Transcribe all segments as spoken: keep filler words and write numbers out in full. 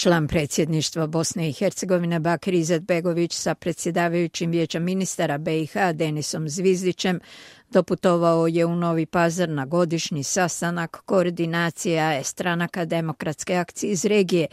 Član predsjedništva Bosne i Hercegovine Bakir Izetbegović sa predsjedavajućim vijeća ministara be i ha Denisom Zvizdićem doputovao je u Novi Pazar na godišnji sastanak koordinacija stranaka demokratske akcije iz regije,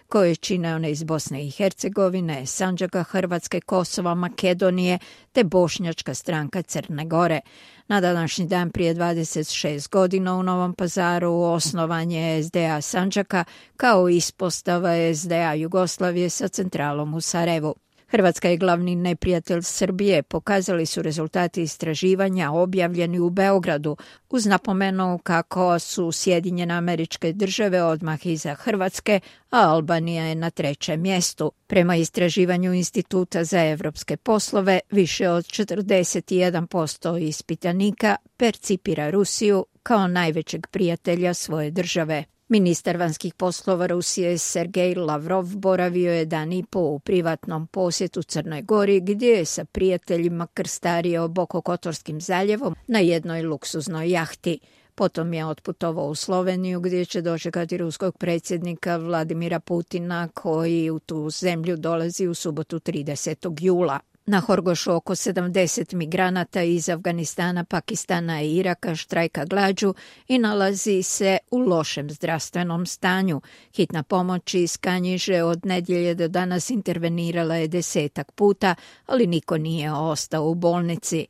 koje čine one iz Bosne i Hercegovine, Sandžaka, Hrvatske, Kosova, Makedonije te Bošnjačka stranka Crne Gore. Na današnji dan prije dvadeset šest godina u Novom Pazaru osnovan je es de a Sandžaka kao ispostava es de a Jugoslavije sa centralom u Sarajevu. Hrvatska je glavni neprijatelj Srbije, pokazali su rezultati istraživanja objavljeni u Beogradu, uz napomenu kako su Sjedinjene Američke Države odmah iza Hrvatske, a Albanija je na trećem mjestu. Prema istraživanju Instituta za evropske poslove, više od četrdeset jedan posto ispitanika percipira Rusiju kao najvećeg prijatelja svoje države. Ministar vanjskih poslova Rusije Sergej Lavrov boravio je dan i po u privatnom posjetu Crnoj Gori, gdje je sa prijateljima krstario Bokokotorskim zaljevom na jednoj luksuznoj jahti. Potom je otputovao u Sloveniju, gdje će dočekati ruskog predsjednika Vladimira Putina, koji u tu zemlju dolazi u subotu tridesetog jula. Na Horgošu oko sedamdeset migranata iz Afganistana, Pakistana i Iraka štrajka glađu i nalazi se u lošem zdravstvenom stanju. Hitna pomoć iz Kanjiže od nedjelje do danas intervenirala je desetak puta, ali niko nije ostao u bolnici.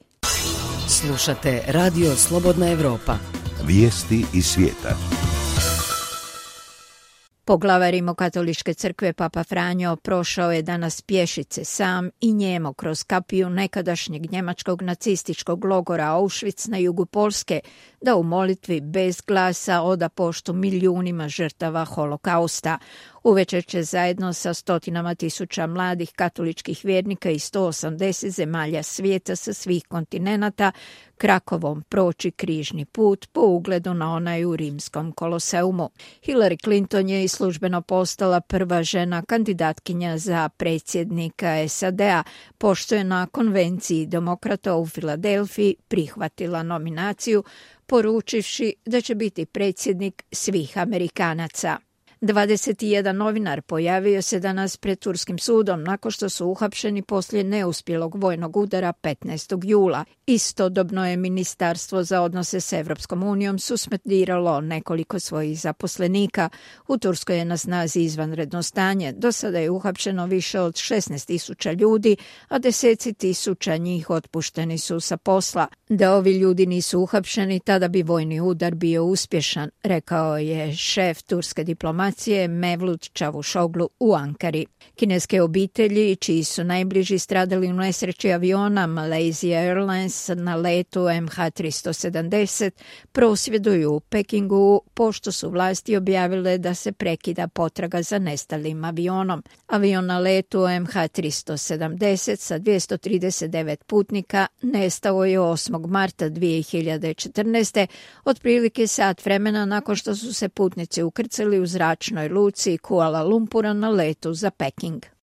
Slušate Radio Slobodna Evropa. Vijesti iz svijeta. Poglavar Rimokatoličke crkve Papa Franjo prošao je danas pješice sam i njemo kroz kapiju nekadašnjeg njemačkog nacističkog logora Auschwitz na jugu Poljske da u molitvi bez glasa oda poštu milijunima žrtava holokausta. Uvečer će zajedno sa stotinama tisuća mladih katoličkih vjernika i sto osamdeset zemalja svijeta sa svih kontinenata Krakovom proći križni put po ugledu na onaj u rimskom koloseumu. Hillary Clinton je i službeno postala prva žena kandidatkinja za predsjednika es a de a, pošto je na konvenciji demokrata u Filadelfiji prihvatila nominaciju, poručivši da će biti predsjednik svih Amerikanaca. dvadeset jedan novinar pojavio se danas pred turskim sudom nakon što su uhapšeni poslije neuspjelog vojnog udara petnaestog jula. Istodobno je Ministarstvo za odnose s Evropskom unijom suspendiralo nekoliko svojih zaposlenika. U Turskoj je na snazi izvanredno stanje. Do sada je uhapšeno više od šesnaest tisuća ljudi, a deseci tisuća njih otpušteni su sa posla. Da ovi ljudi nisu uhapšeni, tada bi vojni udar bio uspješan, rekao je šef turske diplomacije Mevlut Čavuşoglu u Ankari. Kineske obitelji, čiji su najbliži stradali u nesreći aviona Malaysia Airlines na letu em ha tristo sedamdeset, prosvjeduju u Pekingu pošto su vlasti objavile da se prekida potraga za nestalim avionom. Avion na letu em ha tristo sedamdeset sa dvjesto trideset devet putnika nestao je osmog marta dvije hiljade četrnaeste, otprilike sat vremena nakon što su se putnici ukrcali u zračnoj luci Kuala Lumpura na letu za Peking.